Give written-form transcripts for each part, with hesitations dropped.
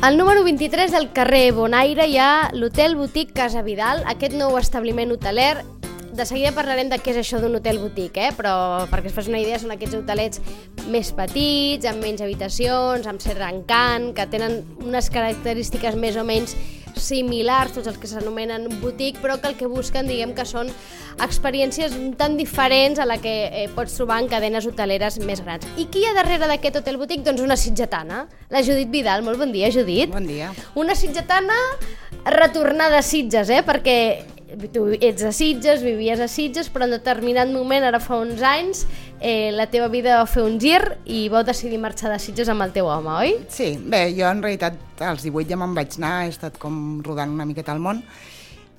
Al número 23 del carrer Bonaire hi ha l'Hotel Boutique Casa Vidal, aquest nou establiment hoteler. De seguida parlarem de què és això d'un hotel boutique, però perquè es fas una idea són aquests hotelets més petits, amb menys habitacions, amb cert encant, que tenen unes característiques més o menys similars, tots els que s'anomenen boutique, però que el que busquen, diguem que són experiències tan diferents a la que pots trobar en cadenes hoteleres més grans. I qui hi ha darrere d'aquest hotel boutique? Doncs una sitgetana, la Judit Vidal. Molt bon dia, Judit. Bon dia. Una sitgetana retornada a Sitges, perquè tu ets de Sitges, vivies a Sitges, però en determinat moment, ara fa uns anys, la teva vida va fer un gir i vau decidir marxar de Sitges amb el teu home, oi? Sí, bé, jo en realitat als 18 ja me'n vaig anar, he estat com rodant una miqueta al món,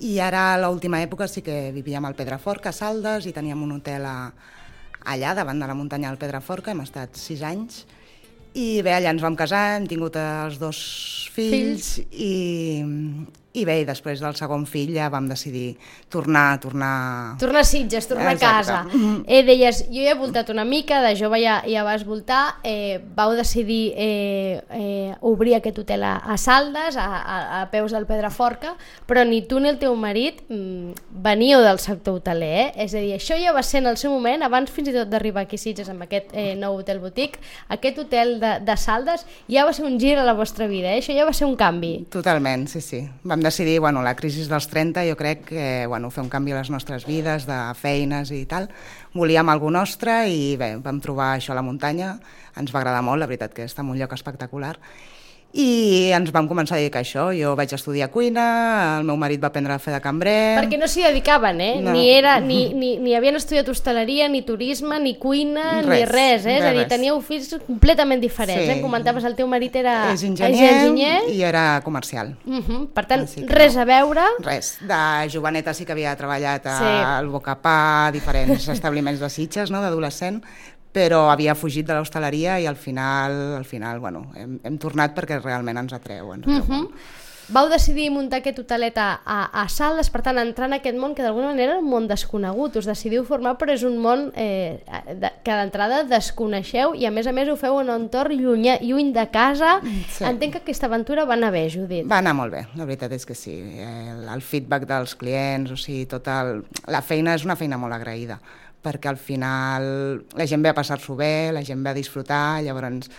i ara a l'última època sí que vivíem al Pedraforca, a Saldes, i teníem un hotel allà, davant de la muntanya del Pedraforca, hem estat 6 anys, i bé, allà ens vam casar, hem tingut els 2 fills. I bé, després del segon fill ja vam decidir tornar a Sitges, tornar a casa. Exacte. Deies, jo he voltat una mica, de jove ja vas voltar, vau decidir obrir aquest hotel a Saldes, a peus del Pedraforca, però ni tu ni el teu marit veníeu del sector hoteler, És a dir, això ja va ser en el seu moment, abans fins i tot d'arribar aquí a Sitges amb aquest nou hotel boutique, aquest hotel de Saldes ja va ser un gir a la vostra vida, això ja va ser un canvi. Totalment, sí. Vam decidir, la crisi dels 30, jo crec que fer un canvi a les nostres vides, de feines i tal. Volíem algú nostre i bé, vam trobar això a la muntanya, ens va agradar molt, la veritat que està en un lloc espectacular. I ens vam començar a dedicar a això. Jo vaig estudiar cuina, el meu marit va aprendre a fer de cambrer. Perquè no s'hi dedicaven, No. Ni havien estudiat hostaleria, ni turisme, ni cuina, ni res. És a dir, teníeu fills completament diferents. Sí. Em comentaves, el teu marit és enginyer i era comercial. Per tant, res a veure. Res. De joveneta sí que havia treballat al Bocapà, a diferents establiments de Sitges, d'adolescent, però havia fugit de l'hostaleria i al final hem tornat perquè realment ens atreu. Vau decidir muntar aquest hotelet a Saldes, per tant, entrar en aquest món que d'alguna manera era un món desconegut. Us decidiu formar, però és un món que d'entrada desconeixeu i a més ho feu en un entorn lluny de casa. Sí. Entenc que aquesta aventura va anar bé, Judit. Va anar molt bé, la veritat és que sí. El feedback dels clients, la feina és una feina molt agraïda, perquè al final la gent ve a passar-s'ho bé, la gent ve a disfrutar, llavors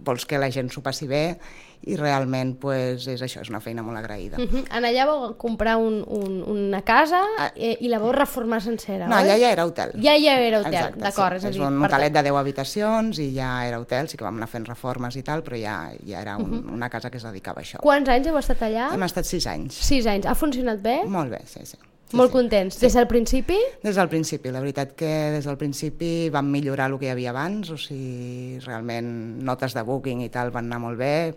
vols que la gent s'ho passi bé i realment és això, és una feina molt agraïda. En allà vau comprar una casa i la vau reformar sencera, No, oi? allà ja era hotel. Ja era hotel, exacte, d'acord. Sí. És un hotelet de 10 habitacions i ja era hotel, sí que vam anar fent reformes i tal, però ja era una casa que es dedicava a això. Quants anys heu estat allà? Hem estat 6 anys. 6 anys. Ha funcionat bé? Molt bé, sí. Molt contents. Sí. Des del principi? Des del principi, la veritat que des del principi vam millorar el que hi havia abans, realment notes de booking i tal van anar molt bé.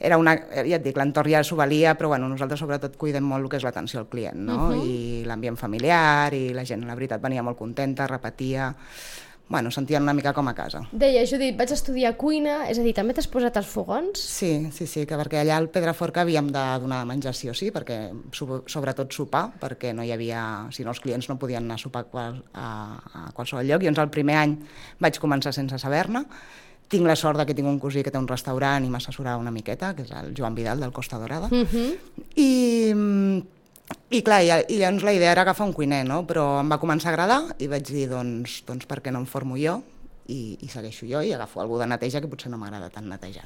Ja et dic, l'entorn ja s'ho valia, però nosaltres sobretot cuidem molt el que és l'atenció al client, i l'ambient familiar, i la gent, la veritat, venia molt contenta, repetia, sentien una mica com a casa. Deia, Judit, vaig estudiar cuina, és a dir, també t'has posat als fogons? Sí, que perquè allà al Pedraforca havíem de donar de menjar sí o sí, perquè sobretot sopar, perquè no hi havia, si no els clients no podien anar a sopar a qualsevol lloc, i el primer any vaig començar sense saber-ne. Tinc la sort que tinc un cosí que té un restaurant i m'assessorava una miqueta, que és el Joan Vidal del Costa Dorada, i clar, i llavors la idea era agafar un cuiner, però em va començar a agradar i vaig dir, doncs per què no em formo jo i segueixo jo i agafo algú de neteja que potser no m'agrada tant netejar,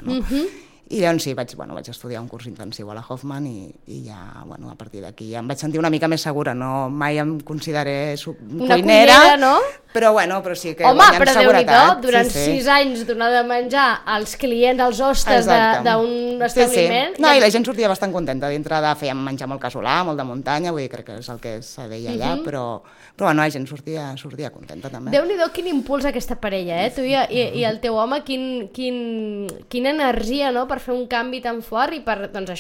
I llavors sí, vaig estudiar un curs intensiu a la Hoffman i ja, a partir d'aquí ja em vaig sentir una mica més segura, mai em consideré cuinera, no? Però sí que guanyant seguretat. Home, però seguretat. Déu-n'hi-do, durant 6 anys donar de menjar als clients, als hostes d'un establiment... Sí. No, i la gent sortia bastant contenta, dintre fèiem menjar molt casolà, molt de muntanya, vull dir, crec que és el que se deia allà, però la gent sortia contenta també. Déu-n'hi-do quin impuls aquesta parella, tu i el teu home, quina energia, per fer un canvi tan fort i per, de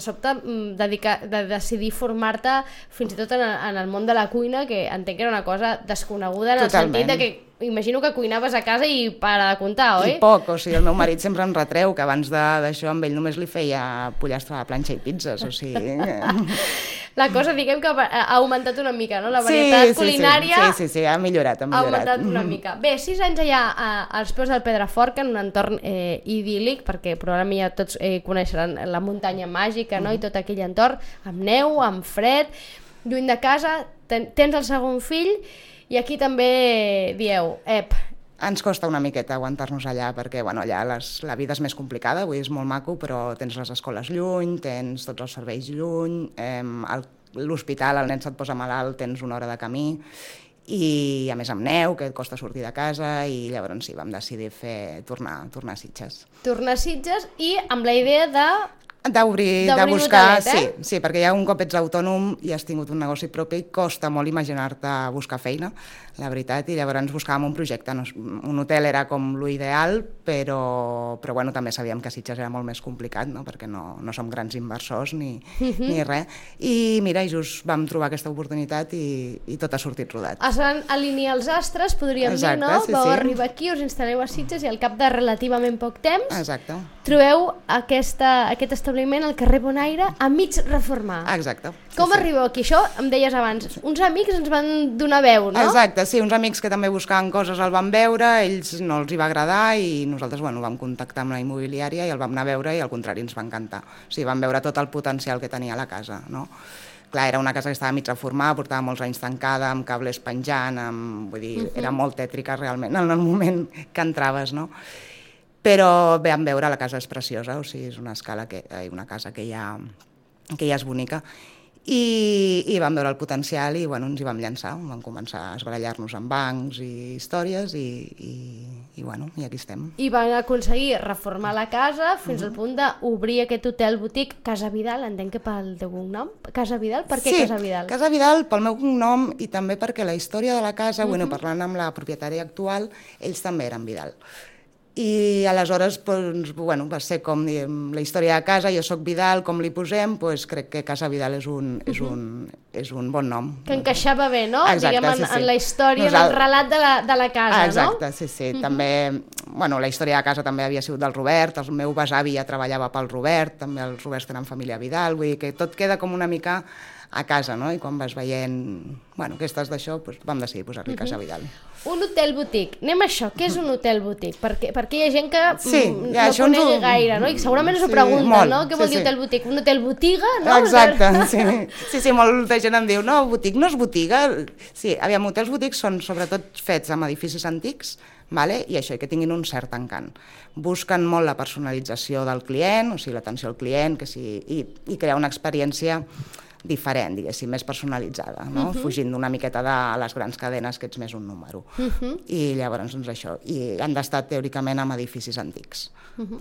sobte de decidir formar-te fins i tot en el món de la cuina, que entenc que era una cosa desconeguda en el sentit de que imagino que cuinaves a casa i para de comptar, oi? I poc, el meu marit sempre em retreu que abans d'això amb ell només li feia pollastre a la planxa i pizzas, la cosa, diguem que ha augmentat una mica, no? La varietat culinària sí, ha millorat. Ha augmentat una mica. Bé, 6 anys allà als peus del Pedraforca, en un entorn idíl·lic, perquè probablement ja tots coneixeran la muntanya màgica, no? I tot aquell entorn, amb neu, amb fred, lluny de casa, tens el segon fill, i aquí també dieu, ens costa una miqueta aguantar-nos allà perquè allà la vida és més complicada, avui és molt maco, però tens les escoles lluny, tens tots els serveis lluny, l'hospital, el nen se't posa malalt, tens una hora de camí, i a més amb neu, que et costa sortir de casa, i llavors sí, vam decidir tornar a Sitges. Tornar a Sitges i amb la idea de buscar, sí, perquè ja un cop ets autònom i has tingut un negoci propi, costa molt imaginar-te buscar feina, la veritat, i llavors buscàvem un projecte. Un hotel era com l'ideal, però també sabíem que Sitges era molt més complicat, no? Perquè no som grans inversors ni res. I mira, just vam trobar aquesta oportunitat i tot ha sortit rodat. Es van alinear els astres, podríem dir, no? Vau arribar aquí, us instal·leu a Sitges i al cap de relativament poc temps trobeu aquest establiment al carrer Bonaire a mig reformar. Exacte. Com arribeu aquí? Això em deies abans, uns amics ens van donar veu, no? Exacte, sí, uns amics que també buscaven coses el van veure, ells no els hi va agradar i nosaltres vam contactar amb la immobiliària i el vam anar a veure i al contrari ens va encantar. O sigui, vam veure tot el potencial que tenia la casa, no? Clar, era una casa que estava mig reformada, portava molts anys tancada, amb cables penjant, vull dir, era molt tètrica realment en el moment que entraves, no? Però vam veure, la casa és preciosa, o sigui, és una casa que ja és bonica, i vam veure el potencial i ens hi vam llançar, vam començar a esbarallar-nos amb bancs i històries i aquí estem. I van aconseguir reformar la casa fins al punt d'obrir aquest hotel botic Casa Vidal, entenc que pel teu cognom, Casa Vidal, per què Casa Vidal? Sí, Casa Vidal pel meu cognom i també perquè la història de la casa, parlant amb la propietària actual, ells també eren Vidal. I aleshores va ser com la història de casa, jo soc Vidal, com li posem, crec que Casa Vidal és un bon nom. Que encaixava bé, no? Exacte, diguem, en la història, en el relat de la casa, no? Exacte, sí. També, la història de casa també havia sigut del Robert, el meu besavi ja treballava pel Robert, també els Roberts tenen família Vidal, vull dir que tot queda com una mica a casa, no? I quan vas veient que estàs d'això, vam decidir posar-li Casa Vidal. Un hotel botic. Anem a això. Què és un hotel botic? Perquè hi ha gent que no conegui gaire, no? I segurament s'ho pregunta, no? Què vol dir hotel botic? Un hotel botiga, no? Exacte, sí, molta gent em diu, no, botic no és botiga. Sí, hotels botics són sobretot fets amb edificis antics, i això, que tinguin un cert encant. Busquen molt la personalització del client, o sigui, l'atenció al client, i crear una experiència diferent, diguéssim, més personalitzada, no? Fugint d'una miqueta de les grans cadenes que ets més un número. I llavors, això. I han d'estar teòricament amb edificis antics.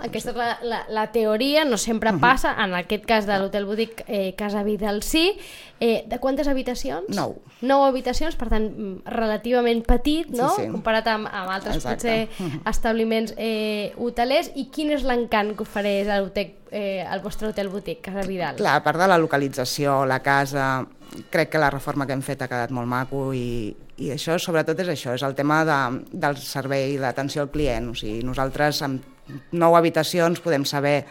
Aquesta és la teoria, no sempre passa, en aquest cas de l'hotel botic Casa Vidal sí. De quantes habitacions? 9. 9 habitacions, per tant, relativament petit, no? Comparat amb altres potser establiments hotelers. I quin és l'encant que ofereix el vostre hotel botic, Casa Vidal? Clar, a part de la localització, la casa, crec que la reforma que hem fet ha quedat molt maco i això, sobretot, és el tema del servei d'atenció al client. O sigui, nosaltres amb 9 habitacions podem saber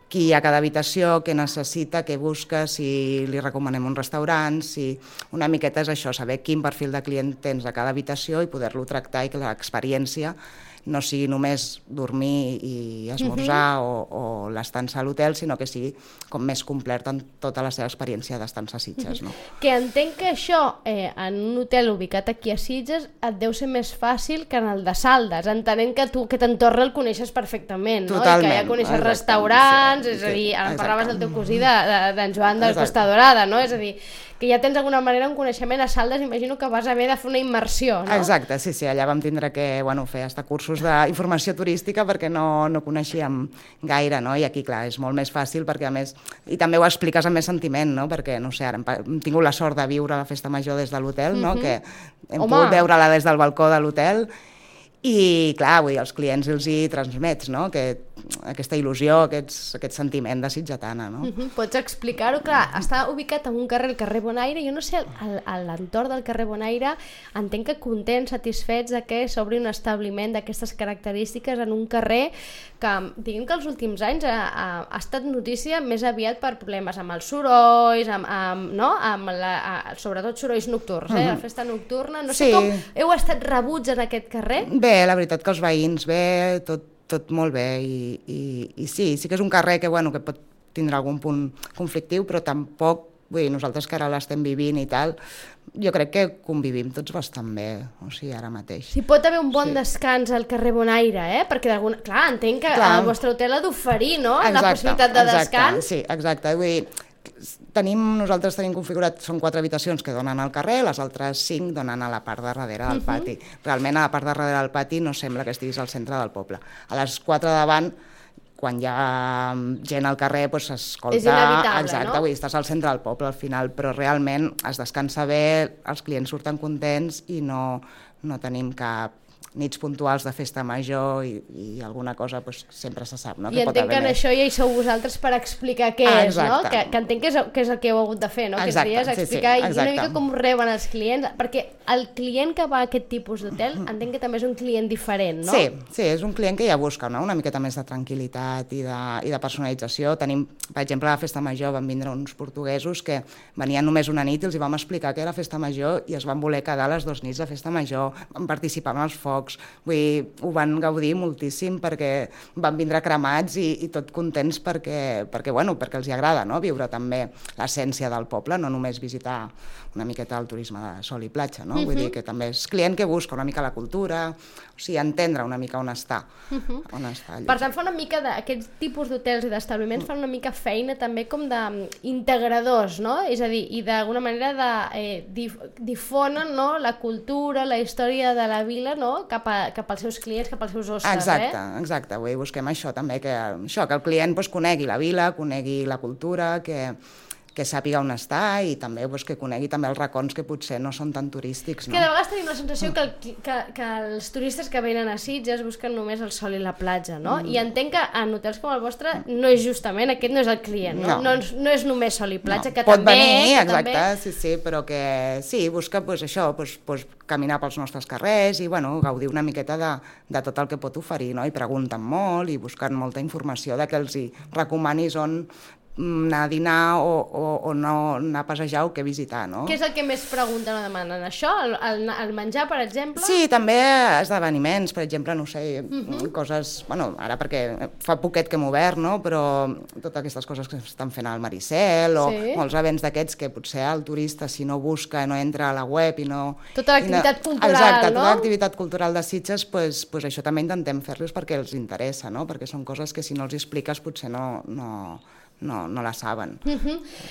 qui hi ha a cada habitació, què necessita, què busca, si li recomanem un restaurant, si una miqueta és això, saber quin perfil de client tens a cada habitació i poder-lo tractar i que l'experiència no sigui només dormir i esmorzar o l'estança a l'hotel, sinó que sigui com més completa en tota la seva experiència d'estança a Sitges. No? Que entenc que això, en un hotel ubicat aquí a Sitges, et deu ser més fàcil que en el de Saldes, entenent que tu aquest entorn el coneixes perfectament, no? I que ja coneixes restaurants, és a dir, ara parlaves del teu cosí d'en Joan de Costa Dorada, no? És a dir, que ja tens d'alguna manera un coneixement a Saldes, imagino que vas haver de fer una immersió, no? Exacte, sí, allà vam tindre que fer hasta cursos d'informació turística perquè no coneixíem gaire, no? I aquí, clar, és molt més fàcil perquè, a més, i també ho expliques amb més sentiment, no? Perquè, no sé, ara hem tingut la sort de viure la festa major des de l'hotel, no? Que hem pogut veure-la des del balcó de l'hotel i, clar, els clients els hi transmets, no? Que aquesta il·lusió, aquest sentiment de sitgetana, no? Pots explicar-ho? Clar, està ubicat en un carrer, el carrer Bonaire. Jo no sé, a l'entorn del carrer Bonaire entenc que contents, satisfets de que s'obri un establiment d'aquestes característiques en un carrer que, diguem que els últims anys ha estat notícia més aviat per problemes amb els sorolls, sobretot sorolls nocturns, la festa nocturna. No sé com heu estat rebuts en aquest carrer? Bé, la veritat que els veïns, bé, tot molt bé, i sí que és un carrer que pot tindre algun punt conflictiu, però tampoc, vull dir, nosaltres que ara l'estem vivint i tal, jo crec que convivim tots bastant bé, o sigui, ara mateix. Si pot haver un bon descans al carrer Bonaire, perquè clar, entenc que el vostre hotel ha d'oferir, no?, la possibilitat de descans. Sí, exacte, vull dir, nosaltres tenim configurat, són 4 habitacions que donen al carrer, les altres 5 donen a la part de darrere del pati. Realment a la part de darrere del pati no sembla que estiguis al centre del poble. A les 4 de davant, quan hi ha gent al carrer, s'escolta... És inevitable, exacte, no? Vull dir, estàs al centre del poble al final, però realment es descansa bé, els clients surten contents i no tenim cap nits puntuals de festa major i alguna cosa sempre se sap, no? I entenc que en això ja hi sou vosaltres per explicar què és, no? Que entenc que és el que heu hagut de fer, no? Aquests dies, explicar i una mica com reben els clients, perquè el client que va a aquest tipus d'hotel entenc que també és un client diferent, no? Sí, és un client que ja busca una miqueta més de tranquil·litat i de personalització. Tenim, per exemple, a la festa major van vindre uns portuguesos que venien només una nit i els vam explicar que era festa major i es van voler quedar les 2 nits de festa major, van participar en els focs. Vull dir, ho van gaudir moltíssim perquè van vindre cremats i tot contents perquè els hi agrada, no?, viure també l'essència del poble, no només visitar una miqueta el turisme de sol i platja, no? Vull dir que també és client que busca una mica la cultura, o sigui, entendre una mica on està. Per tant, fa una mica d'aquests tipus d'hotels i d'establiments fan una mica feina també com d'integradors, no? És a dir, i d'alguna manera difonen, no?, la cultura, la història de la vila, no?, cap als seus clients, cap als seus hostes, Exacte, vull dir, busquem això també, que el client conegui la vila, conegui la cultura, que sàpiga on està i també que conegui també els racons que potser no són tan turístics. Que de vegades tenim la sensació que els turistes que venen a Sitges busquen només el sol i la platja, no? I entenc que en hotels com el vostre no és justament, aquest no és el client, no? No és només sol i platja, que pot també... Pot venir, exacte, sí, però que sí, busca això, caminar pels nostres carrers i gaudir una miqueta de tot el que pot oferir, no? I pregunten molt i busquen molta informació de que els hi recomanis on anar a dinar o no anar a passejar o què visitar, no? Què és el que més pregunten o demanen? Això? El menjar, per exemple? Sí, també esdeveniments, per exemple, no sé, coses... Ara perquè fa poquet que hem obert, no?, però totes aquestes coses que estan fent al Maricel o molts events d'aquests que potser el turista, si no busca, no entra a la web i no... Tota l'activitat cultural, no? Exacte, tota l'activitat cultural de Sitges, això també intentem fer-los perquè els interessa, no?, perquè són coses que si no els expliques potser no la saben.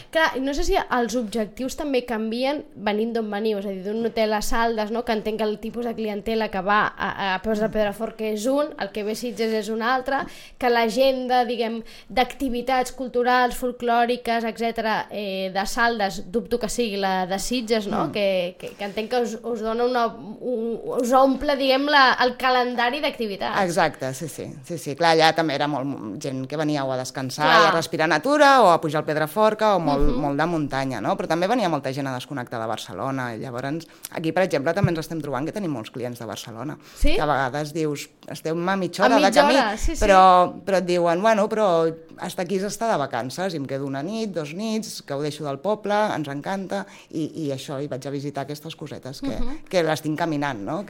Clar, no sé si els objectius també canvien venint d'on veniu, és a dir, d'un hotel a Saldes, no?, que entenc que el tipus de clientela que va a Peus de Pedrafort que és un, el que ve a Sitges és un altre, que l'agenda, diguem, d'activitats culturals, folclòriques, etc., de Saldes, dubto que sigui la de Sitges, no?, que entenc que us dona us omple, diguem, el calendari d'activitats. Exacte, sí. Clar, allà també era molt gent que venia o a descansar i a respirar natura o a pujar al Pedraforca o molt de muntanya, no? Però també venia molta gent a desconnectar de Barcelona. I llavors, aquí, per exemple, també ens estem trobant que tenim molts clients de Barcelona. Sí? Que a vegades dius, estem a mitja hora de camí, però et diuen, però hasta aquí s'està de vacances i em quedo una nit, 2 nits, que ho deixo del poble, ens encanta, i això, i vaig a visitar aquestes cosetes que les tinc caminant, no?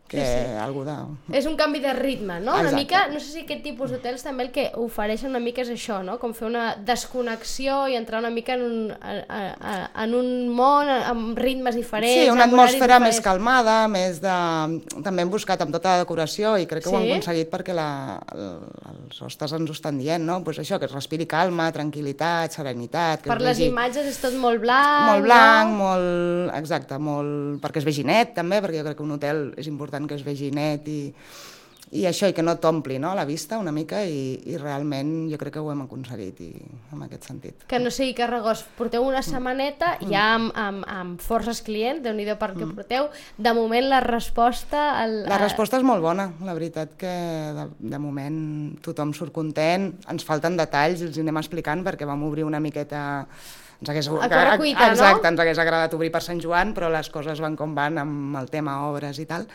Algú de... És un canvi de ritme, no? Una mica, no sé si aquest tipus d'hotels també el que ofereixen una mica és això, no? Com fer una desconnexió i entrar una mica en un món amb ritmes diferents. Sí, una atmosfera més calmada, també hem buscat amb tota la decoració i crec que ho hem aconseguit perquè els hostes ens ho estan dient, no? Pues això, que es respiri calma, tranquil·litat, serenitat... Per les imatges és tot molt blanc, molt blanc, exacte, perquè es vegi net també, perquè jo crec que un hotel és important que es vegi net i això, i que no t'ompli, no?, la vista una mica, i realment jo crec que ho hem aconseguit en aquest sentit. Que no sigui carregós, porteu una setmaneta ja amb forces clients, Déu-n'hi-do per què porteu. De moment la resposta... La resposta és molt bona, la veritat que de moment tothom surt content, ens falten detalls i els anem explicant perquè vam obrir una miqueta... Ens hagués agradat obrir per Sant Joan, però les coses van com van amb el tema obres i tal,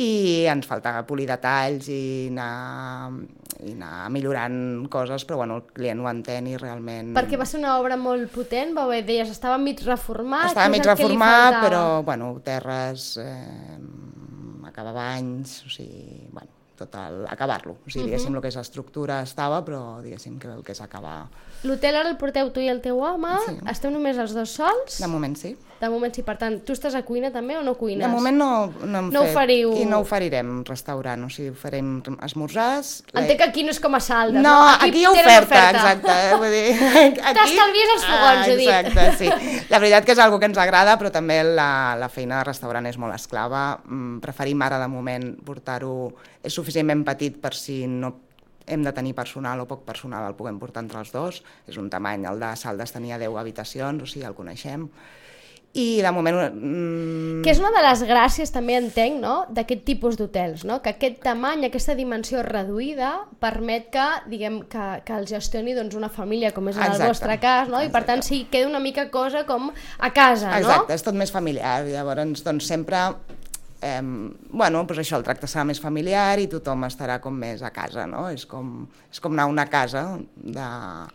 i ens falta polir detalls i anar millorant coses, però bueno, el client ho entén i realment... Perquè va ser una obra molt potent, deies, estava mig reformat... Estava mig reformat, però bueno, terres, acabar banys, o sigui, bueno, total, acabar-lo. O sigui, diguéssim, el que és l'estructura estava, però diguéssim que el que és acabar... L'hotel ara el porteu tu i el teu home, esteu només els dos sols? De moment sí. De moment sí, per tant, tu estàs a cuina també o no cuines? De moment no hem fet. No oferiu... I no oferirem restaurant, o sigui, farem esmorzars... Entenc que aquí no és com a Saldes, no? Aquí hi ha oferta, exacte. Vull dir, t'estalvies els fogons, ho dic. Exacte, sí. La veritat que és una que ens agrada, però també la feina de restaurant és molt esclava. Preferim ara, de moment, portar-ho... És suficientment petit per si no hem de tenir personal o poc personal, el puguem portar entre els dos. És un tamany, el de Saldes tenia 10 habitacions, o sigui, el coneixem. I de moment... Que és una de les gràcies, també entenc, no?, d'aquest tipus d'hotels, no?, que aquest tamany, aquesta dimensió reduïda permet que, diguem, que el gestioni doncs, una família, com és en el vostre cas, no?, i per tant sí, queda una mica cosa com a casa, no? Exacte, és tot més familiar, llavors doncs sempre... bueno, doncs això, el tracte serà més familiar i tothom estarà com més a casa, no? És com anar a una casa de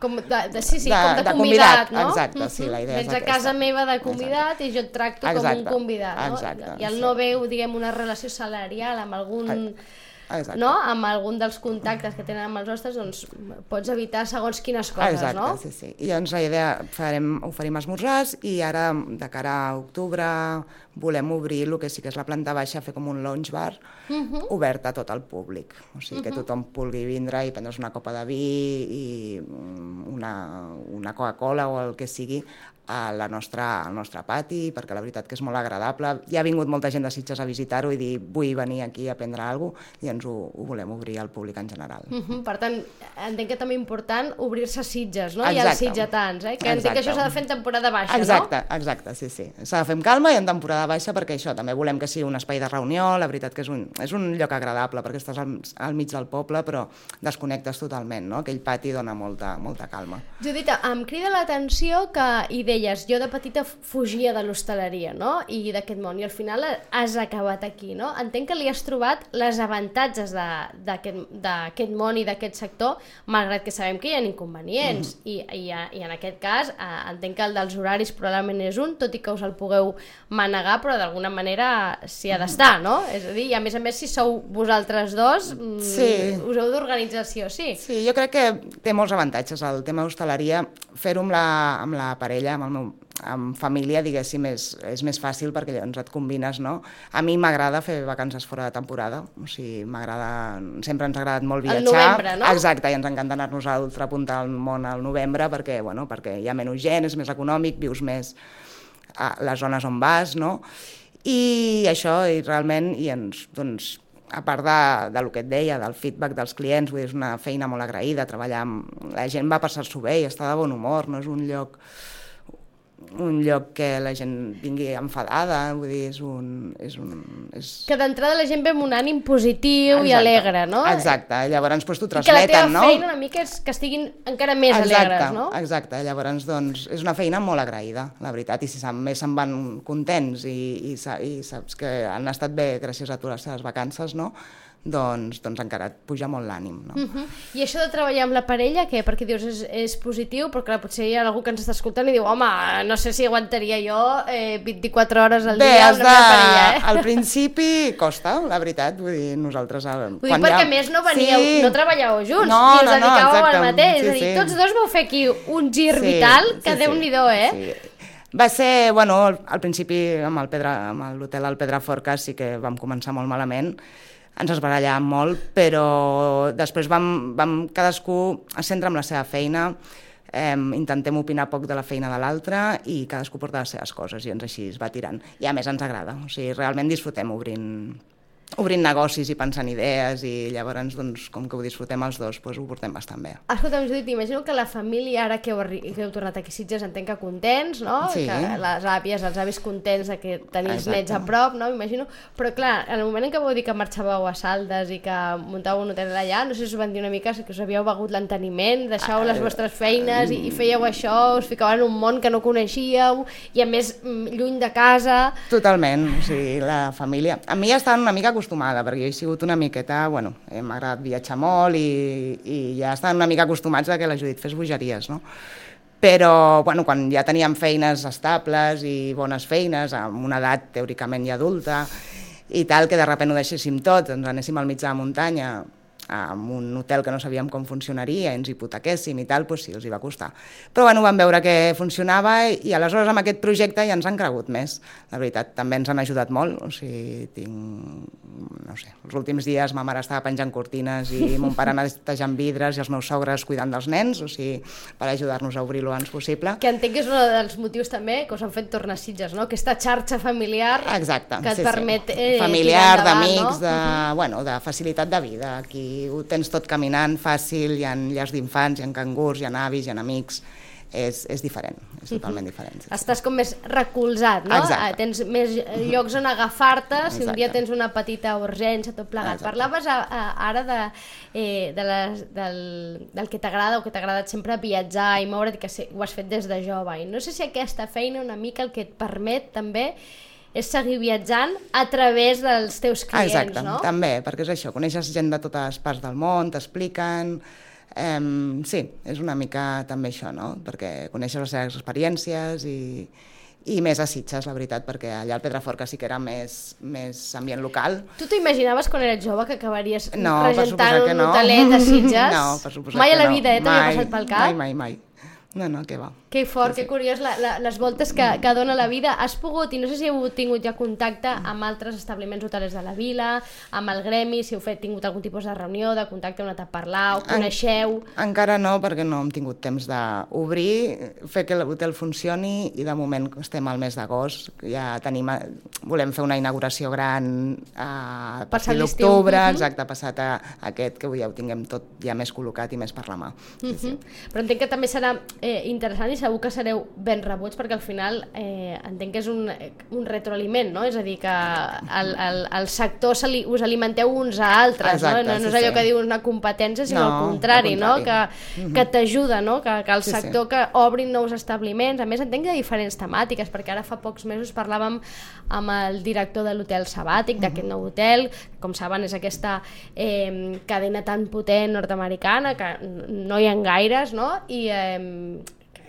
convidat, no? Exacte, sí, la idea és aquesta. Vens a casa meva de convidat i jo et tracto com un convidat, no? Exacte. I el no veu, diguem, una relació salarial amb algun... no? Amb algun dels contactes que tenen amb els hostes, doncs pots evitar segons quines coses, no? Exacte, sí. I llavors la idea, oferim esmorzars i ara, de cara a octubre, volem obrir el que sí que és la planta baixa, fer com un lounge bar obert a tot el públic. O sigui, que tothom pugui vindre i prendre's una copa de vi i una Coca-Cola o el que sigui al nostre pati, perquè la veritat que és molt agradable. Ja ha vingut molta gent de Sitges a visitar-ho i dir vull venir aquí a prendre alguna cosa, i ens ho volem obrir al públic en general. Per tant, entenc que també és important obrir-se a Sitges, no? I als sitgetans, que entenc que això s'ha de fer en temporada baixa, no? Exacte, sí. S'ha de fer amb calma i en temporada baixa, perquè això, també volem que sigui un espai de reunió, la veritat que és un lloc agradable, perquè estàs al mig del poble, però desconnectes totalment, no? Aquell pati dona molta calma. Judita, em crida l'atenció que hi deies, jo de petita fugia de l'hostaleria, no?, i d'aquest món, i al final has acabat aquí, no? Entenc que li has trobat les avantatges d'aquest món i d'aquest sector, malgrat que sabem que hi ha inconvenients, i en aquest cas entenc que el dels horaris probablement és un, tot i que us el pugueu manegar, però d'alguna manera s'hi ha d'estar, no? És a dir, i a més, si sou vosaltres dos, us heu d'organitzar sí o sí. Sí, jo crec que té molts avantatges el tema d'hostaleria. Fer-ho amb la parella, amb família, diguéssim, és més fàcil perquè llavors et combines, no? A mi m'agrada fer vacances fora de temporada, o sigui, sempre ens ha agradat molt viatjar. Al novembre, no? Exacte, i ens encanta anar-nos a l'altra punta del món al novembre perquè hi ha menys gent, és més econòmic, vius més a les zones on vas, no? I això, i realment, doncs, a part del que et deia, del feedback dels clients, vull dir, és una feina molt agraïda, treballar amb... La gent va passar-s'ho bé i està de bon humor, no és un lloc que la gent vingui enfadada, vull dir, Que d'entrada la gent ve amb un ànim positiu i alegre, no? Exacte, llavors t'ho transmeten, no? I que la teva feina una mica és que estiguin encara més alegres, no? Exacte, llavors doncs és una feina molt agraïda, la veritat, i si més se'n van contents i saps que han estat bé gràcies a tu les teves vacances, no? Doncs encara et puja molt l'ànim, no? I això de treballar amb la parella, què? Perquè dius és positiu, però clar, potser hi ha algú que ens està escoltant i diu, home, no sé si aguantaria jo 24 hores al dia amb la meva parella, Al principi costa, la veritat, vull dir, nosaltres... Vull dir, perquè més no treballàveu junts, i us dedicàveu al mateix, és a dir, tots dos vau fer aquí un gir vital, que Déu-n'hi-do, Va ser, al principi amb l'hotel al Pedraforca sí que vam començar molt malament, ens esbarallàvem molt, però després cadascú es centra en la seva feina, intentem opinar poc de la feina de l'altre i cadascú porta les seves coses i així es va tirant. I a més ens agrada, o sigui, realment disfrutem obrint obrint negocis i pensant idees, i llavors, doncs, com que ho disfrutem els dos, doncs ho portem bastant bé. Escolta'm, Judit, imagino que la família, ara que heu tornat aquí a Sitges, entenc que contents, no? Sí. Que les àvies, els avis contents de que tenir els nets a prop, no? M'imagino. Però clar, en el moment en què vau dir que marxàveu a Saldes i que muntàveu un hotel allà, no sé si us van dir una mica que us havíeu begut l'enteniment, deixàveu les vostres feines i fèieu això, us ficàveu en un món que no coneixíeu i a més lluny de casa. Totalment, o sigui, la família... A mi ja estava una mica acostumada, perquè jo he sigut una miqueta, bueno, m'ha agradat viatjar molt i ja estaven una mica acostumats a que la Judit fes bogeries, no? Però, bueno, quan ja teníem feines estables i bones feines, amb una edat teòricament ja adulta i tal, que de sobte ho deixéssim tot, ens anéssim al mig de la muntanya, amb un hotel que no sabíem com funcionaria, ens hipotequéssim i tal, doncs sí, els hi va costar. Però bueno, vam veure que funcionava i aleshores amb aquest projecte ja ens han cregut més. La veritat, també ens han ajudat molt, o sigui, no sé, els últims dies ma mare estava penjant cortines i mon pare netejant vidres i els meus sogres cuidant dels nens, o sigui, per ajudar-nos a obrir-lo abans possible. Que entenc que és un dels motius també que us han fet tornar a Sitges, no? Aquesta xarxa familiar. Exacte, que et permet familiar, d'amics, de facilitat de vida. Aquí ho tens tot caminant, fàcil, hi ha llars d'infants, hi ha cangurs, hi ha avis, hi ha amics, és diferent, és totalment diferent. Sí. Estàs com més recolzat, no? Exacte. Tens més llocs on agafar-te, si un dia tens una petita urgència, tot plegat. Exacte. Parlaves ara del que t'agrada o que t'ha agradat sempre viatjar i moure't, que ho has fet des de jove, i no sé si aquesta feina una mica el que et permet també és seguir viatjant a través dels teus clients, exacte, no? També, perquè és això, coneixes gent de totes les parts del món, t'expliquen... sí, és una mica també això, no? Perquè coneixes les seves experiències i més a Sitges, la veritat, perquè allà al Pedraforca sí que era més ambient local. Tu t'imaginaves quan eres jove que acabaries regentant un hotelet a Sitges? No, per suposat que no. Mai a la vida, t'havia passat pel cap? Mai. No, què va. Que fort, que curiós, les voltes que dona la vida. Has pogut, i no sé si heu tingut ja contacte amb altres establiments hotelers de la vila, amb el gremi, si heu tingut algun tipus de reunió, de contacte, on a parlar, o coneixeu? Encara no, perquè no hem tingut temps d'obrir, fer que l'hotel funcioni, i de moment estem al mes d'agost, ja volem fer una inauguració gran a partir d'octubre, exacte, passat a aquest, que ja ho tinguem tot ja més col·locat i més per la mà. Sí. Però entenc que també serà interessant i segur que sereu ben rebuts, perquè al final entenc que és un retroaliment, no? És a dir, que el sector us alimenteu uns a altres. Exacte, no és allò que diu una competència, sinó al contrari, no? Que t'ajuda, no? Que el sector que obrin nous establiments. A més, entenc que hi ha diferents temàtiques, perquè ara fa pocs mesos parlàvem amb el director de l'hotel sabàtic, d'aquest nou hotel, que com saben és aquesta cadena tan potent nord-americana, que no hi ha gaires, no? I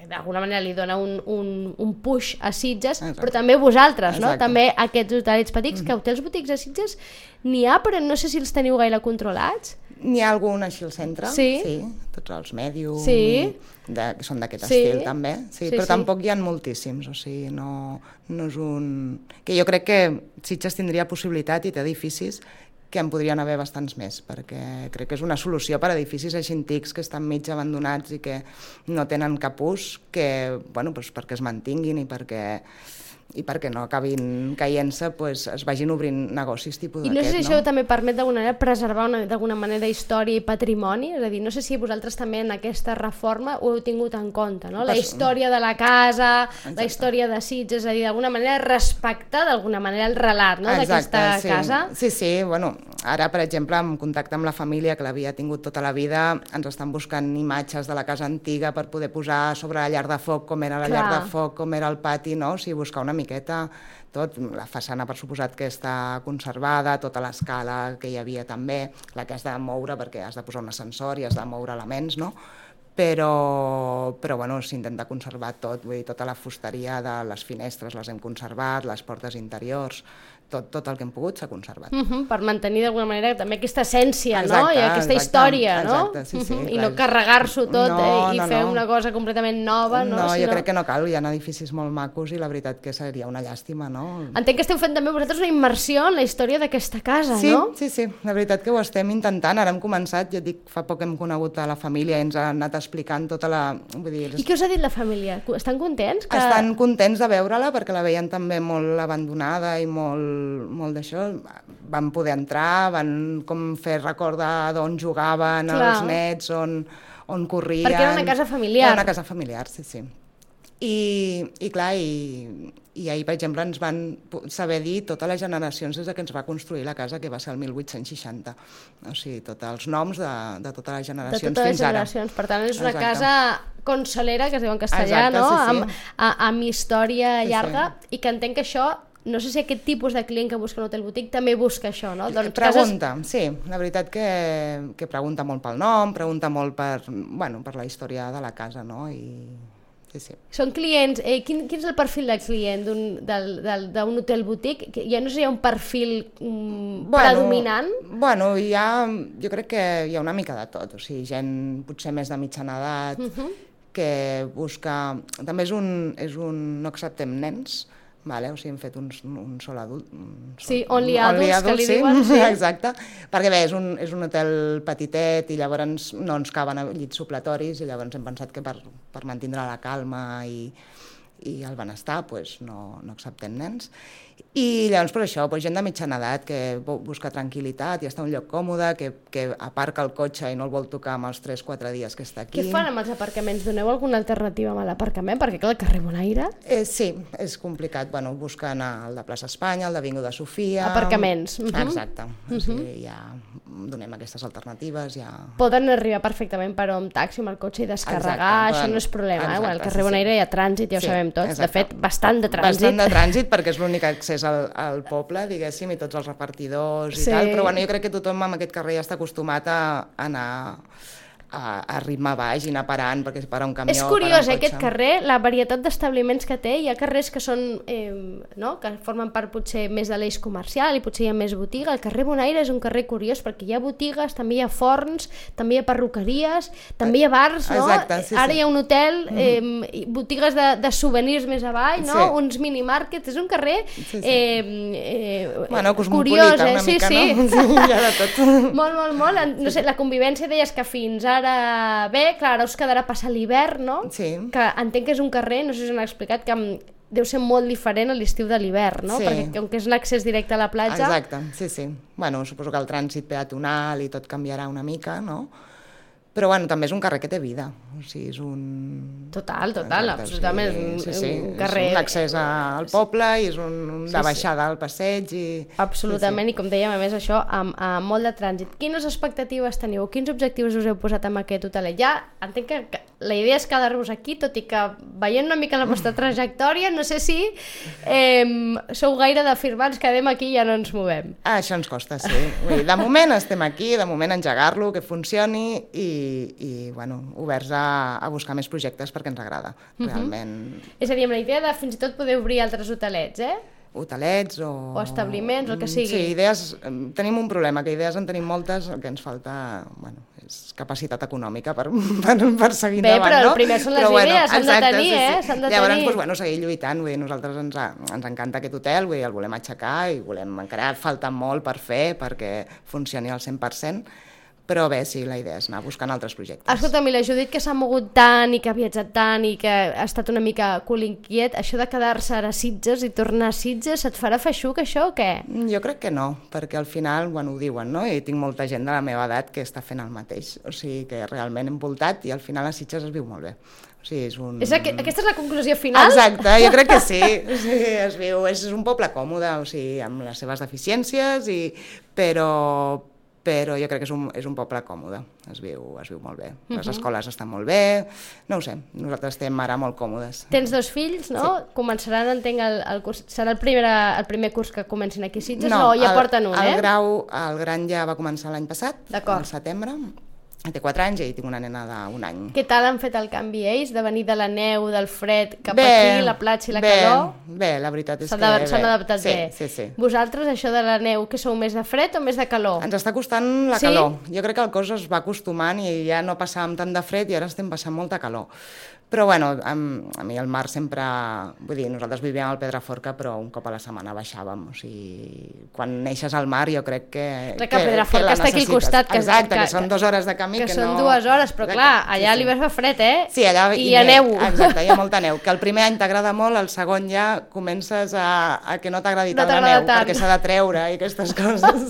d'alguna manera li dona un push a Sitges, però també vosaltres, no? També aquests hotelets petits, que hotels botics a Sitges n'hi ha, però no sé si els teniu gaire controlats. N'hi ha algun així al centre, sí, tots els Medium, que són d'aquest estil també, però tampoc hi ha moltíssims, o sigui, no és un... Que jo crec que Sitges tindria possibilitat i té edificis que en podrien haver bastants més, perquè crec que és una solució per a edificis així antics que estan mig abandonats i que no tenen cap ús, perquè es mantinguin i perquè no acabin caient-se, es vagin obrint negocis tipus d'aquest. I no sé si això també permet d'alguna manera preservar d'alguna manera història i patrimoni, és a dir, no sé si vosaltres també en aquesta reforma ho heu tingut en compte, no? La història de la casa, la història de Sitges, és a dir, d'alguna manera respectar d'alguna manera el relat d'aquesta casa. Sí, bueno, ara per exemple en contacte amb la família que l'havia tingut tota la vida, ens estan buscant imatges de la casa antiga per poder posar sobre la llar de foc com era la llar de foc, com era el pati, no? O sigui, buscar una miqueta tot, la façana per suposat que està conservada, tota l'escala que hi havia també, la que has de moure perquè has de posar un ascensor i has de moure elements, no? Però bueno, s'intenta conservar tot, vull dir, tota la fusteria de les finestres les hem conservat, les portes interiors, tot el que hem pogut s'ha conservat. Per mantenir d'alguna manera també aquesta essència, no? I aquesta història, no? I no carregar-s'ho tot i fer una cosa completament nova, no? No, jo crec que no cal, hi ha edificis molt macos i la veritat que seria una llàstima, no? Entenc que esteu fent també vosaltres una immersió en la història d'aquesta casa, no? Sí, la veritat que ho estem intentant, ara hem començat, jo dic, fa poc hem conegut a la família i ens ha anat explicant tota la... I què us ha dit la família? Estan contents? Estan contents de veure-la perquè la veien també molt abandonada i molt molt d'això, van poder entrar, van com fer recordar d'on jugaven els nets, on corrien... Perquè era una casa familiar. Era una casa familiar, sí. I clar, i ahir, per exemple, ens van saber dir totes les generacions des que ens va construir la casa, que va ser el 1860. O sigui, tots els noms de totes les generacions fins ara. De totes les generacions. Per tant, és una casa consolera, que es diu en castellà, no? Amb història llarga, i que entenc que això, no sé si aquest tipus de client que busca un hotel boutique també busca això, no? Pregunta, sí. La veritat que pregunta molt pel nom, pregunta molt per la història de la casa, no? Sí. Són clients, quin és el perfil de client d'un hotel boutique? Ja no sé si hi ha un perfil predominant? Bueno, jo crec que hi ha una mica de tot, o sigui, gent potser més de mitjana edat, que busca... També no acceptem nens, vale? O sigui, hem fet un sol adult. Sí, only adults, que li diuen. Sí, exacte. Perquè bé, és un hotel petitet i llavors no ens caben llits supletoris i llavors hem pensat que per mantenir la calma i el benestar no acceptem nens. I llavors per això, gent de mitjana edat que busca tranquil·litat i està en un lloc còmode, que aparca el cotxe i no el vol tocar amb els 3-4 dies que està aquí. Què fan amb els aparcaments? Doneu alguna alternativa amb l'aparcament? Perquè clar, el carrer Bonaire... Sí, és complicat. Busquen el de Plaça Espanya, el d'Avinguda Sofia... Aparcaments. Exacte. O sigui, ja donem aquestes alternatives. Poden arribar perfectament per un taxi amb el cotxe i descarregar, això no és problema. Al carrer Bonaire hi ha trànsit, ja ho sabem tots. De fet, bastant de trànsit. Bastant de trànsit, perquè és l'únic accés al poble, diguéssim, i tots els repartidors i tal, però jo crec que tothom en aquest carrer ja està acostumat a anar a ritme baix i anar parant, perquè si para un camió... És curiós, aquest carrer, la varietat d'establiments que té, hi ha carrers que són, que formen part potser més de l'eix comercial i potser hi ha més botiga. El carrer Bonaire és un carrer curiós perquè hi ha botigues, també hi ha forns, també hi ha perruqueries, també hi ha bars, no? Exacte, sí. Ara hi ha un hotel, botigues de souvenirs més avall, no? Uns minimarkets, és un carrer curiós, una mica, no? Sí. Hi ha de tot. Molt. No sé, la convivència deies que fins ara clar, ara us quedarà passar l'hivern, no? Sí. Que entenc que és un carrer, no sé si us han explicat, que deu ser molt diferent a l'estiu de l'hivern, no? Sí. Perquè com que és un accés directe a la platja... Exacte, sí. Suposo que el trànsit peatonal i tot canviarà una mica, no? Però també és un carrer que té vida, o sigui, és un... Total, absolutament, un carrer... És un accés al poble i és de baixada al passeig i... Absolutament, i com dèiem, a més això, amb molt de trànsit. Quines expectatives teniu? Quins objectius us heu posat amb aquest hotelet? Ja entenc que la idea és quedar-vos aquí, tot i que veient una mica la vostra trajectòria, no sé si sou gaire d'afirmar ens quedem aquí i ja no ens movem. Això ens costa, sí. De moment estem aquí, de moment engegar-lo, que funcioni i oberts a buscar més projectes perquè ens agrada, realment. És a dir, amb la idea de fins i tot poder obrir altres hotelets, Hotelets o establiments, el que sigui. Sí, idees, tenim un problema, que idees en tenim moltes, el que ens falta, és capacitat econòmica per seguir endavant, no? Bé, però el primer són les idees, s'han de tenir, s'han de tenir. Llavors, seguir lluitant, nosaltres ens encanta aquest hotel, el volem aixecar i encara falta molt per fer perquè funcioni al 100%, però bé, sí, la idea és anar buscant altres projectes. Escolta'm, i la Judit, que s'ha mogut tant i que ha viatjat tant i que ha estat una mica cul inquiet, això de quedar-se a Sitges i tornar a Sitges, et farà feixuc això o què? Jo crec que no, perquè al final, ho diuen, no? I tinc molta gent de la meva edat que està fent el mateix, o sigui que realment hem voltat i al final a Sitges es viu molt bé. O sigui, aquesta és la conclusió final? Exacte, jo crec que sí. O sigui, es viu, és un poble còmode, o sigui, amb les seves deficiències, però jo crec que és un poble còmode, es viu molt bé. Les escoles estan molt bé, no ho sé, nosaltres estem ara molt còmodes. Tens 2 fills, no? Sí. Començaran, entenc, el curs, serà el primer curs que comencin aquí a Sitges, o ja porten un, el gran ja va començar l'any passat, al setembre. Té 4 anys i tinc una nena d'1 any. Què tal han fet el canvi ells, de venir de la neu, del fred, cap aquí, la platja i la calor? Bé, la veritat és que s'han adaptat bé. Sí. Vosaltres, això de la neu, que sou més de fred o més de calor? Ens està costant la calor. Jo crec que el cos es va acostumant i ja no passàvem tant de fred i ara estem passant molta calor. Però bueno, a mi el mar sempre... Vull dir, nosaltres vivíem al Pedraforca, però un cop a la setmana baixàvem. O sigui, quan neixes al mar jo crec que que Pedraforca està aquí al costat. Exacte, que són 2 hores de camí. Que són 2 hores, però clar, allà a l'hivern fa fred, Sí, allà hi ha neu. Exacte, hi ha molta neu. Que el primer any t'agrada molt, el segon ja comences a que no t'agradi tant la neu, perquè s'ha de treure i aquestes coses.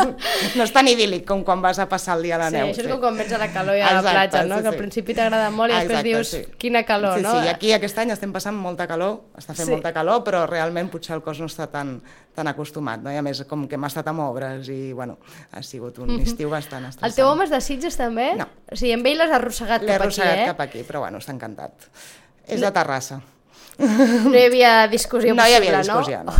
No és tan idíl·lic com quan vas a passar el dia a la neu. Sí, això és com quan vens a la calor i a la platja, no? Que al principi t'agrada molt i després dius quina calor. Sí, no? Sí, aquí aquest any estem passant molta calor, està fent molta calor, però realment potser el cos no està tan acostumat, no? I a més, com que hem estat amb obres i, bueno, ha sigut un estiu bastant estressant. El teu home és de Sitges, també? No. O sigui, amb ell l'has arrossegat cap aquí, L'he arrossegat cap aquí, però, bueno, està encantat. És de Terrassa. No hi havia discussió possible, no? No hi havia discussió, no.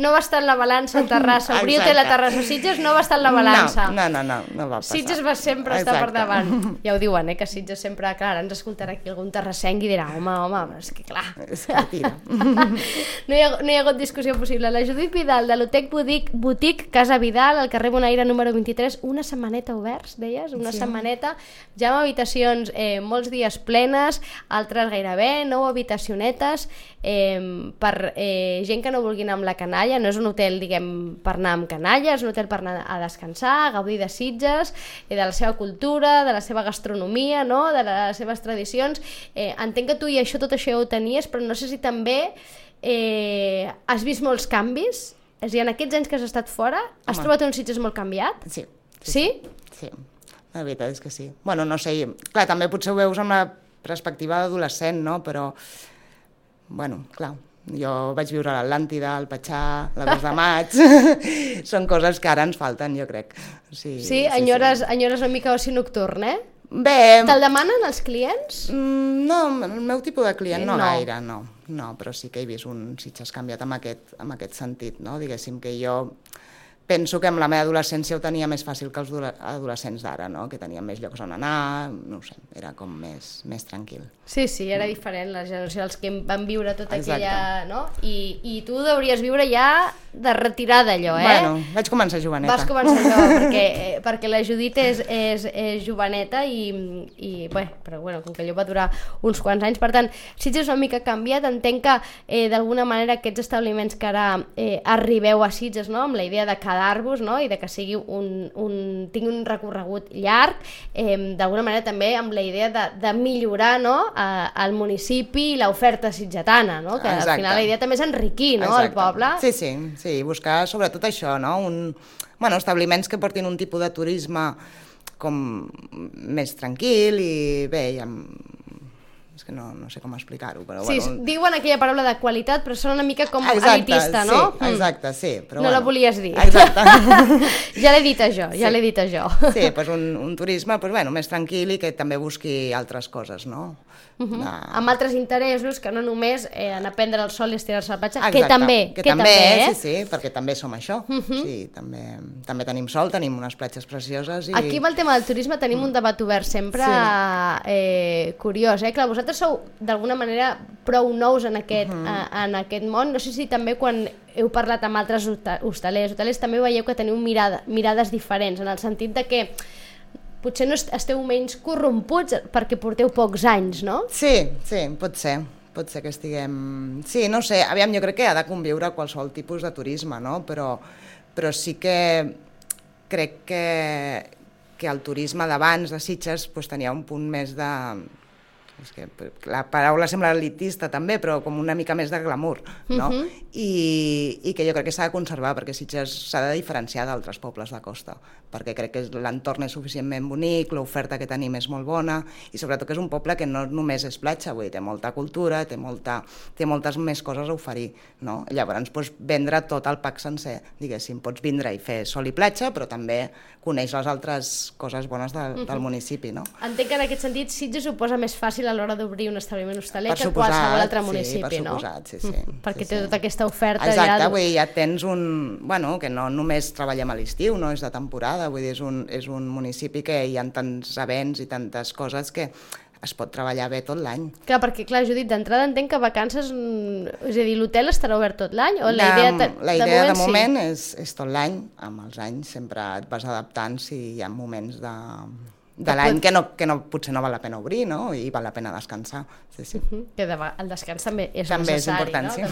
No va estar en la balança Terrassa. Obrir hotel a Terrassa. Sitges no va estar en la balança. No va passar. Sitges va sempre estar per davant. Ja ho diuen, que Sitges sempre... Clar, ens escoltarà aquí algun terrassenc i dirà home, és que clar... És que tira. No hi ha hagut discussió possible. La Judit Vidal, de l'Hotec Boutique Casa Vidal, al carrer Bonaire número 23, una setmaneta oberts, deies? Una setmaneta, ja amb habitacions molts dies plenes, altres gairebé, 9 habitacions per gent que no vulgui anar amb la canalla. No és un hotel, diguem, per anar amb canalla, és un hotel per anar a descansar, a gaudir de Sitges, de la seva cultura, de la seva gastronomia, no? De les seves tradicions. Entenc que tu i tot això ja ho tenies, però no sé si també has vist molts canvis. És a dir, en aquests anys que has estat fora, has trobat un Sitges molt canviat? Sí. Sí? Sí, la veritat és que sí. Bueno, no sé, clar, també potser ho veus amb la perspectiva d'adolescent, no? Però, bueno, clar, jo vaig viure a l'Atlàntida, al Patxà, la 2 de maig, són coses que ara ens falten, jo crec. Sí, enyores una mica oci nocturn, Bé... Te'l demanen els clients? No, el meu tipus de client no gaire, no, però sí que he vist un Sitges canviat en aquest sentit, no? Diguéssim que jo... Penso que amb la meva adolescència ho tenia més fàcil que els adolescents d'ara, no? Que tenien més llocs on anar, no ho sé, era com més tranquil. Sí, era diferent, la generació dels que van viure tota aquella... No? I tu hauries viure ja de retirada, allò, Bueno, vaig començar joveneta. Vas començar jove, perquè la Judit és joveneta però bueno, com que allò va durar uns quants anys, per tant, Sitges és una mica canviat, entenc que d'alguna manera aquests establiments que ara arribeu a Sitges, no? Amb la idea de quedar-vos, no? I de que sigui tingui un recorregut llarg, d'alguna manera també amb la idea de millorar, no? El municipi i l'oferta sitgetana, no? Que al final la idea també és enriquir, no? El poble. Sí, buscar sobretot això, no? Establiments que portin un tipus de turisme com més tranquil i bé, és que no sé com explicar-ho, però sí, bueno... diuen aquella paraula de qualitat, però sona una mica com elitista, no? Exacte, sí. Però no la volies dir. Exacte. Ja l'he dit jo. Sí, doncs un turisme més tranquil i que també busqui altres coses, no? Amb altres interessos que no només anar a prendre el sol i estirar-se a la platja, que també, sí, perquè també som això. Sí, també tenim sol, tenim unes platges precioses. Aquí amb el tema del turisme tenim un debat obert sempre curiós, Clar, vosaltres sou d'alguna manera prou nous en aquest món. No sé si també quan heu parlat amb altres hostalers també veieu que teniu mirades diferents, en el sentit de que potser no esteu menys corromputs perquè porteu pocs anys, no? Sí, pot ser que estiguem... Sí, no sé, aviam, jo crec que ha de conviure qualsevol tipus de turisme, no? Però sí que crec que el turisme d'abans de Sitges tenia un punt més de... És que la paraula sembla elitista també, però com una mica més de glamour, no? I que jo crec que s'ha de conservar, perquè Sitges s'ha de diferenciar d'altres pobles de costa, perquè crec que l'entorn és suficientment bonic, l'oferta que tenim és molt bona, i sobretot que és un poble que no només és platja, vull dir, té molta cultura, té moltes més coses a oferir, no? Llavors pots vendre tot el pack sencer, diguéssim, pots vindre i fer sol i platja, però també coneix les altres coses bones del municipi, no? Entenc que en aquest sentit Sitges ho posa més fàcil a l'hora d'obrir un establiment hostaler que qualsevol altre municipi, no? Per suposat, perquè té tota aquesta oferta. Exacte, vull dir, ja tens que no només treballem a l'estiu, no és de temporada, vull dir, és un municipi que hi ha tants events i tantes coses que es pot treballar bé tot l'any. Clar, perquè, Judit, d'entrada entenc que vacances, és a dir, l'hotel estarà obert tot l'any? O la idea de moment és tot l'any, amb els anys sempre et vas adaptant si hi ha moments de l'any que potser no val la pena obrir, no? I val la pena descansar. Sí. Que el descans també és també necessari. És important, sí.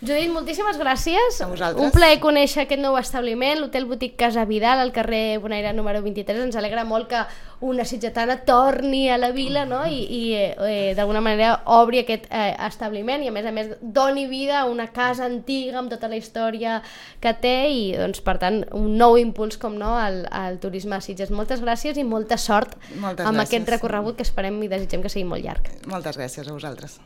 Judit, moltíssimes gràcies. A vosaltres. Un plaer conèixer aquest nou establiment, l'Hotel Boutique Casa Vidal, al carrer Bonaire número 23. Ens alegra molt que una sitgetana torni a la vila, no? I d'alguna manera obri aquest establiment i a més doni vida a una casa antiga amb tota la història que té i doncs per tant un nou impuls com no al turisme a Sitges. Moltes gràcies i molta sort amb aquest recorregut que esperem i desitgem que sigui molt llarg. Moltes gràcies a vosaltres.